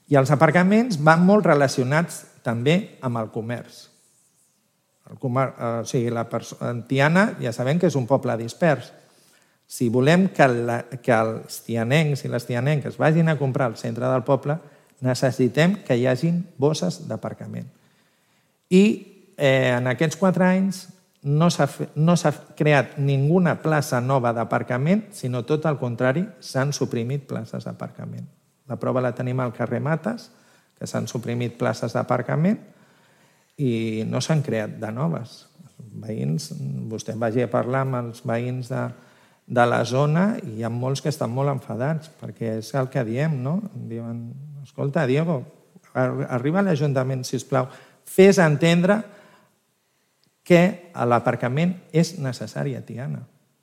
I els aparcaments van molt relacionats també amb el comerç. Tiana ja sabem que és un poble dispers. Si volem que els tianencs i les tianenques vagin a comprar al centre del poble, necessitem que hi hagin bosses d'aparcament. I en aquests 4 anys no s'ha creat ninguna plaça nova d'aparcament, sinó tot el contrari, s'han suprimit places d'aparcament. La prova la tenim al carrer Mates, que s'han suprimit places d'aparcament i no s'han creat de noves. Veïns, vostè vagi a parlar amb els veïns de la zona i hi ha molts que estan molt enfadats, perquè és el que diem, no? Diuen, escolta, Diego, arriba a l'Ajuntament, sisplau, fes entendre que l'aparcament és necessari a Tiana.